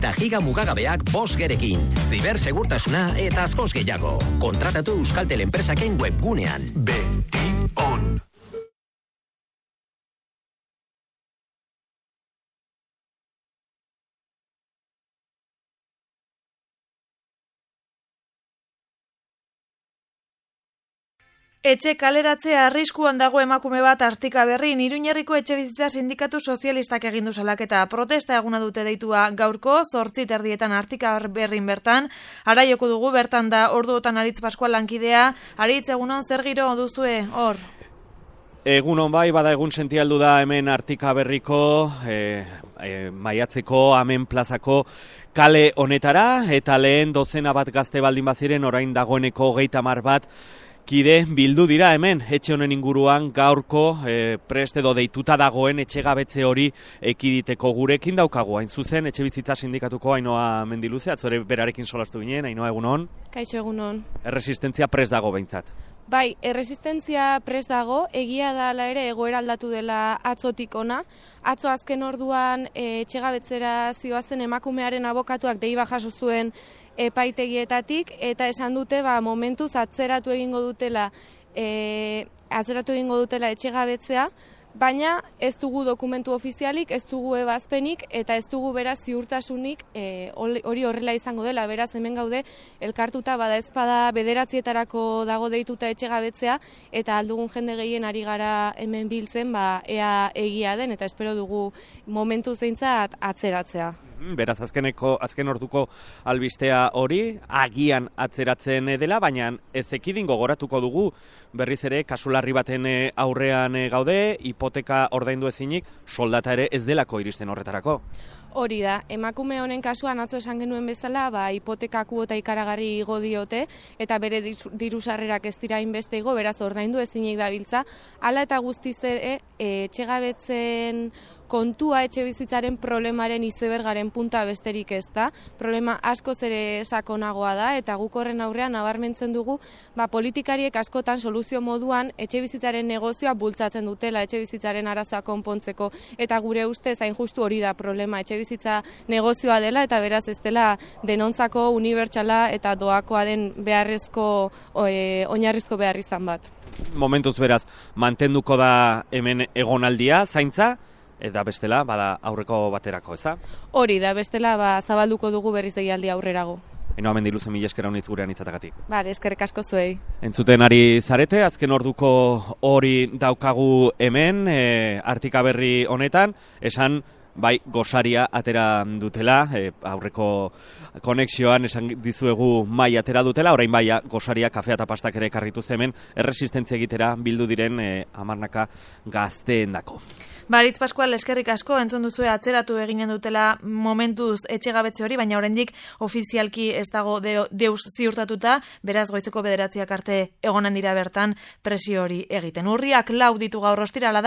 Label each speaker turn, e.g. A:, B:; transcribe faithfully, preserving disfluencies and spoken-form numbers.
A: eta giga mugagabeak bost gerekin. Zibersegurtasuna eta askoz gehiago. Kontratatu Euskaltel enpresaken webgunean.
B: Betion.
C: Etxe kaleratzea arriskuan dago emakume bat Artika Berrin. Iruñerriko Etxebizitza Sindikatu Sozialistak egin du salaketa. Protesta eguna dute deitua gaurko, zortzi terdietan Artika Berrin bertan. Ara joko dugu bertan da orduotan Aritz Pascual lankidea. Aritz, egunon zer giro duzue hor?
D: Egunon bai, bada egun sentialdu da hemen Artika Berriko, e, e, maiatzeko, amen plazako kale honetara, eta lehen dozena bat gazte baldin baziren, orain dagoeneko hogeita hamar bat, kide bildu dira hemen, etxe honen inguruan gaurko e, prest edo deituta dagoen etxegabetze hori ekiditeko. Gurekin daukagu, hain zuzen, Etxebizitza Sindikatuko Ainhoa Mendiluze, atzore berarekin solastu ginen. Ainhoa, egunon?
E: Kaixo, egunon.
D: Erresistentzia prest dago behintzat.
E: Bai, erresistentzia prest dago, egia da ala ere egoera aldatu dela atzotik ona. Atzo azken orduan e, etxegabetzera zioazen emakumearen abokatuak deiba jaso zuen epaitegietatik, eta esan dute ba, momentuz atzeratu egingo dutela e, atzeratu egingo dutela etxegabetzea, baina ez dugu dokumentu ofizialik, ez dugu ebazpenik, eta ez dugu beraz ziurtasunik e, hori horrela izango dela. Beraz hemen gaude elkartuta bada ezpada bederatzietarako dago deituta etxegabetzea, eta aldugun jende gehien ari gara hemen biltzen ba, ea egia den, eta espero dugu momentu zeintzat atzeratzea.
D: Beraz, azkeneko, azken orduko albistea hori, agian atzeratzen dela, baina ez ekidin gogoratuko dugu, berriz ere, kasularri baten aurrean gaude, hipoteka ordaindu ezinik, soldata ere ez delako iristen horretarako.
E: Hori da, emakume honen kasuan atzo esan genuen bezala, ba, hipoteka kuota ikaragarri igo diote, eta bere diru sarrerak ez dira hainbeste igo, beraz ordaindu ezinik dabiltza. Hala eta guztiz ere, etxegabetzen kontua etxebizitzaren problemaren izebergaren punta besterik ez da. Problema askoz ere sakonagoa da, eta guk horren aurrean nabarmentzen dugu ba, politikariek askotan soluzio moduan etxebizitzaren negozioa bultzatzen dutela etxebizitzaren arazoa konpontzeko, eta gure ustez hain justu hori da problema, etxebizitza negozioa dela, eta beraz ez dela denontzako unibertsala eta doakoa den beharrezko, e, oinarrizko behar izan bat.
D: Momentuz beraz, mantenduko da hemen egonaldia, zaintza, eta bestela, bada aurreko baterako, ez da?
E: Hori da, bestela ba, zabalduko dugu berriz egialdi aurrerago.
D: Ainhoa Mendiluze, mila esker honitz gurean itzatagatik.
E: Bale, eskerrik asko zuei.
D: Entzuten ari zarete, azken orduko hori daukagu hemen, e, Artika Berri honetan, esan bai, gosaria atera dutela, e, aurreko konexioan esan dizuegu mai atera dutela, orain bai, gosaria, kafea eta pastak ere karritu hemen, erresistentzia egitera bildu diren e, hamarnaka gazteen dako.
C: Aritz Pascual, eskerrik asko, entzun duzue atzeratu eginen dutela momentuz etxegabetze hori, baina oraindik ofizialki ez dago de, deus ziurtatuta, beraz goizeko bederatziak arte egonen dira bertan presio hori egiten. Urriak lau ditu gaur ostirala da.